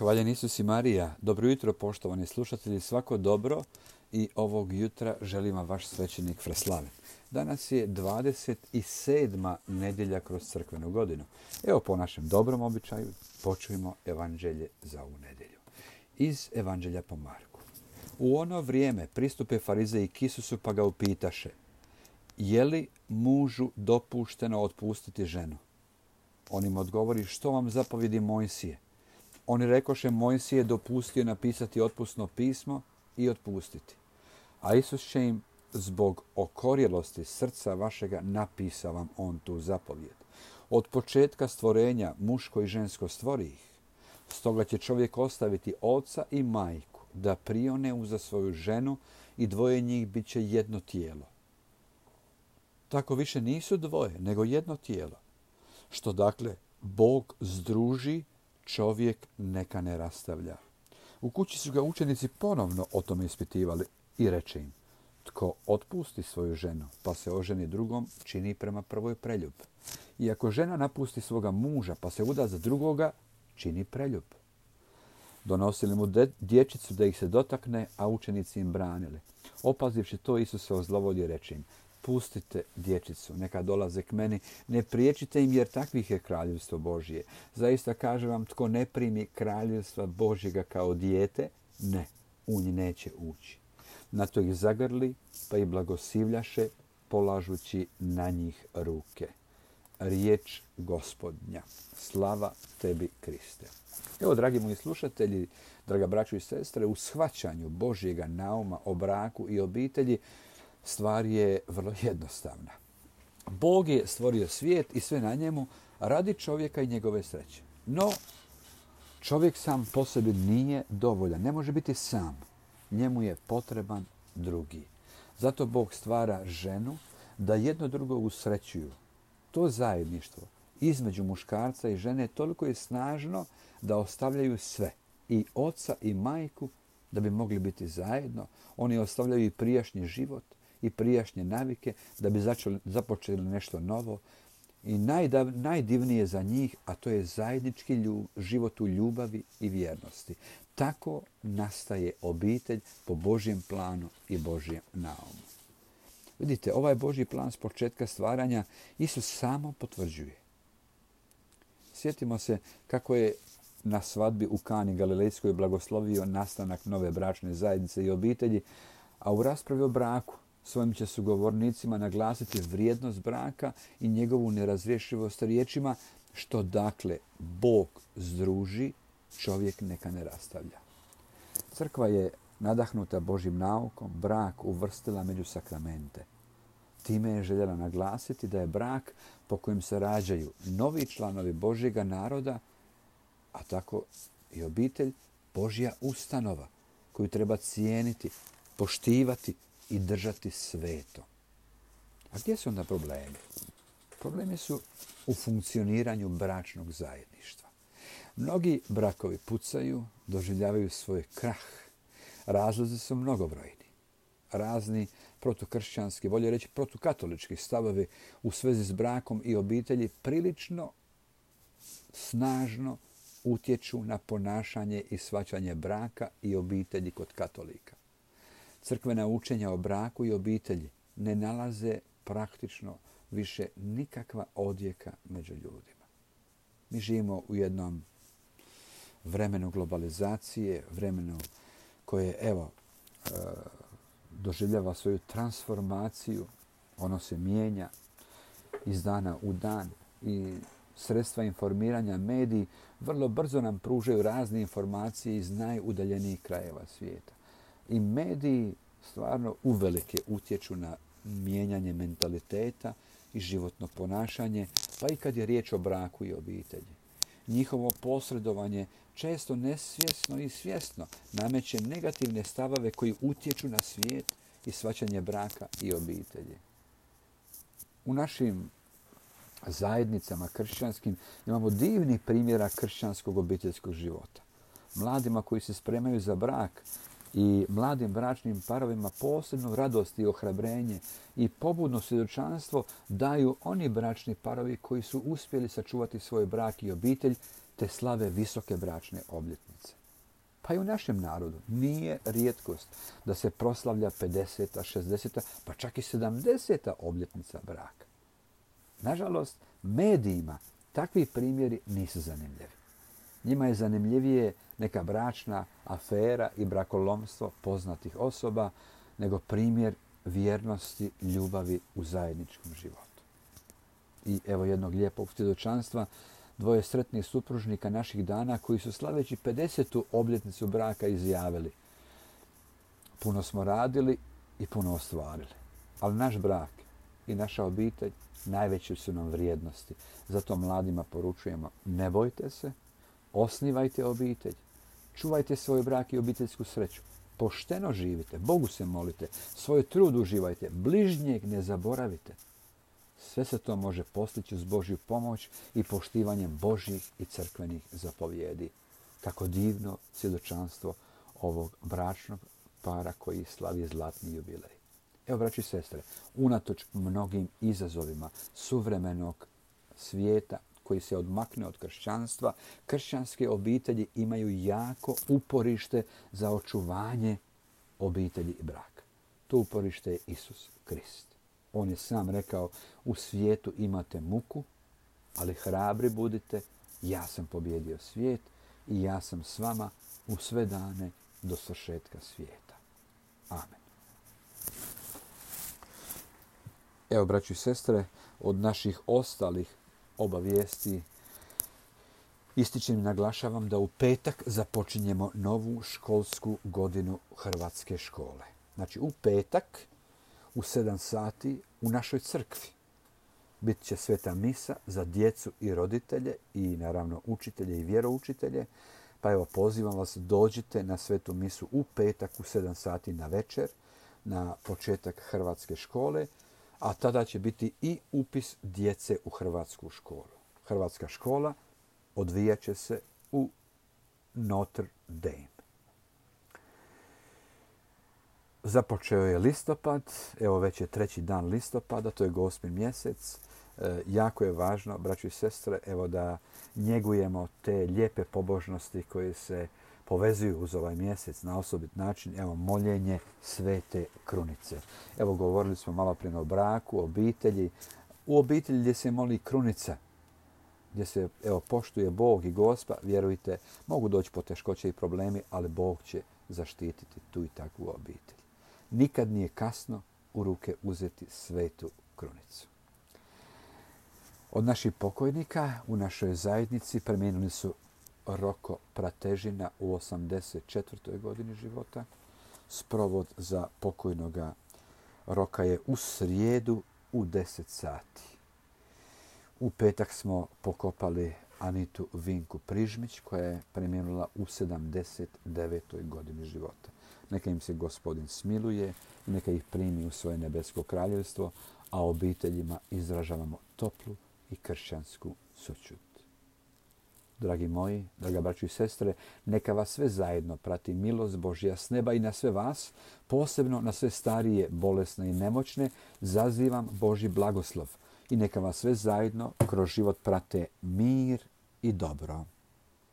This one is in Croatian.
Hvaljen Isus i Marija. Dobro jutro, poštovani slušatelji. Svako dobro i ovog jutra želim vam vaš svećenik Freslaven. Danas je 27. nedjelja kroz crkvenu godinu. Evo, po našem dobrom običaju počujemo evanđelje za ovu nedjelju. Iz evanđelja po Marku. U ono vrijeme pristupe farizeji k Isusu pa ga upitaše: je li mužu dopušteno otpustiti ženu? On im odgovori: što vam zapovjedi Mojsije? Oni rekoše: Mojsije dopustio napisati otpusno pismo i otpustiti. A Isus će im: zbog okorjelosti srca vašega napisa vam on tu zapovjed. Od početka stvorenja muško i žensko stvori ih. Stoga će čovjek ostaviti oca i majku da prione uza svoju ženu i dvoje njih bit će jedno tijelo. Tako više nisu dvoje, nego jedno tijelo. Što dakle Bog združi, čovjek neka ne rastavlja. U kući su ga učenici ponovno o tome ispitivali i reče im: tko otpusti svoju ženu pa se oženi drugom, čini prema prvoj preljub. I ako žena napusti svoga muža pa se uda za drugoga, čini preljub. Donosili mu dječicu da ih se dotakne, a učenici im branili. Opazivši to, Isus se ozlovodio i reče im: pustite dječicu, neka dolaze k meni, ne priječite im, jer takvih je kraljevstvo Božje. Zaista kažem vam, tko ne primi kraljevstva Božjega kao dijete, ne, u nji neće ući. Na to ih zagrli, pa ih blagoslivljaše, polažući na njih ruke. Riječ Gospodnja. Slava tebi, Kriste. Evo, dragi moji slušatelji, draga braćo i sestre, u shvaćanju Božjega nauma o braku i obitelji stvar je vrlo jednostavna. Bog je stvorio svijet i sve na njemu radi čovjeka i njegove sreće. No, čovjek sam po sebi nije dovoljan, ne može biti sam. Njemu je potreban drugi. Zato Bog stvara ženu da jedno drugo usrećuju. To zajedništvo između muškarca i žene toliko je snažno da ostavljaju sve, i oca i majku, da bi mogli biti zajedno. Oni ostavljaju i prijašnji život i prijašnje navike da bi započeli nešto novo. I najdivnije za njih, a to je zajednički život u ljubavi i vjernosti. Tako nastaje obitelj po Božjem planu i Božjem naumu. Vidite, ovaj Božji plan s početka stvaranja Isus samo potvrđuje. Sjetimo se kako je na svadbi u Kani Galilejskoj blagoslovio nastanak nove bračne zajednice i obitelji, a u raspravi o braku svojim će sugovornicima naglasiti vrijednost braka i njegovu nerazrješivost riječima: što dakle Bog združi, čovjek neka ne rastavlja. Crkva je nadahnuta Božjim naukom brak uvrstila među sakramente. Time je željela naglasiti da je brak po kojem se rađaju novi članovi Božjega naroda, a tako i obitelj, Božja ustanova koju treba cijeniti, poštivati i držati sveto. A gdje su onda problemi? Problemi su u funkcioniranju bračnog zajedništva. Mnogi brakovi pucaju, doživljavaju svoj krah. Razlozi su mnogobrojni. Razni protukršćanski, bolje reći protukatolički stavovi u svezi s brakom i obitelji prilično snažno utječu na ponašanje i shvaćanje braka i obitelji kod katolika. Crkvena učenja o braku i obitelji ne nalaze praktično više nikakva odjeka među ljudima. Mi živimo u jednom vremenu globalizacije, vremenu koje, doživljava svoju transformaciju. Ono se mijenja iz dana u dan i sredstva informiranja, mediji, vrlo brzo nam pružaju razne informacije iz najudaljenijih krajeva svijeta. I mediji stvarno uvelike utječu na mijenjanje mentaliteta i životno ponašanje, pa i kad je riječ o braku i obitelji. Njihovo posredovanje često nesvjesno i svjesno nameće negativne stavove koji utječu na svijet i shvaćanje braka i obitelji. U našim zajednicama kršćanskim imamo divnih primjera kršćanskog obiteljskog života. Mladima koji se spremaju za brak i mladim bračnim parovima posebnu radost i ohrabrenje i pobudno svjedočanstvo daju oni bračni parovi koji su uspjeli sačuvati svoj brak i obitelj te slave visoke bračne obljetnice. Pa i u našem narodu nije rijetkost da se proslavlja 50., 60., pa čak i 70. obljetnica braka. Nažalost, medijima takvi primjeri nisu zanimljivi. Njima je zanimljivije neka bračna afera i brakolomstvo poznatih osoba nego primjer vjernosti, ljubavi u zajedničkom životu. I evo jednog lijepog svjedočanstva, dvoje sretnih supružnika naših dana koji su slaveći 50. obljetnicu braka izjavili: puno smo radili i puno ostvarili, ali naš brak i naša obitelj najveće su nam vrijednosti. Zato mladima poručujemo: ne bojte se, osnivajte obitelj, čuvajte svoj brak i obiteljsku sreću, pošteno živite, Bogu se molite, svoj trud uživajte, bližnjeg ne zaboravite. Sve se to može postići uz Božju pomoć i poštivanjem Božjih i crkvenih zapovjedi. Kako divno svjedočanstvo ovog bračnog para koji slavi zlatni jubilej. Evo, braći i sestre, unatoč mnogim izazovima suvremenog svijeta koji se odmakne od kršćanstva, kršćanske obitelji imaju jako uporište za očuvanje obitelji i braka. To uporište je Isus Krist. On je sam rekao: u svijetu imate muku, ali hrabri budite, ja sam pobijedio svijet i ja sam s vama u sve dane do svršetka svijeta. Amen. Evo, braći i sestre, od naših ostalih obavijesti ističem i naglašavam da u petak započinjemo novu školsku godinu Hrvatske škole. Znači, u petak u 7 sati u našoj crkvi bit će sveta misa za djecu i roditelje i naravno učitelje i vjeroučitelje. Pa evo, pozivam vas, dođite na svetu misu u petak u 7 sati na večer, na početak Hrvatske škole, a tada će biti i upis djece u Hrvatsku školu. Hrvatska škola odvijat će se u Notre Dame. Započeo je listopad, evo već je 3. dan listopada, to je Gospin mjesec. Jako je važno, braćo i sestre, evo da njegujemo te lijepe pobožnosti koje se povezuju uz ovaj mjesec na osobit način. Evo, moljenje Svete Krunice. Evo, govorili smo malo prije o braku, obitelji. U obitelji gdje se moli krunica, gdje se poštuje Bog i Gospa, vjerujte, mogu doći poteškoće i problemi, ali Bog će zaštititi tu i takvu obitelj. Nikad nije kasno u ruke uzeti Svetu Krunicu. Od naših pokojnika u našoj zajednici preminuli su Roko Pratežina u 84. godini života. Sprovod za pokojnoga Roka je u srijedu u 10 sati. U petak smo pokopali Anitu Vinku Prižmić koja je preminula u 79. godini života. Neka im se Gospodin smiluje i neka ih primi u svoje nebesko kraljevstvo, a obiteljima izražavamo toplu i kršćansku sućut. Dragi moji, draga braćo i sestre, neka vas sve zajedno prati milost Božja s neba i na sve vas, posebno na sve starije, bolesne i nemoćne, zazivam Božji blagoslov i neka vas sve zajedno kroz život prate mir i dobro.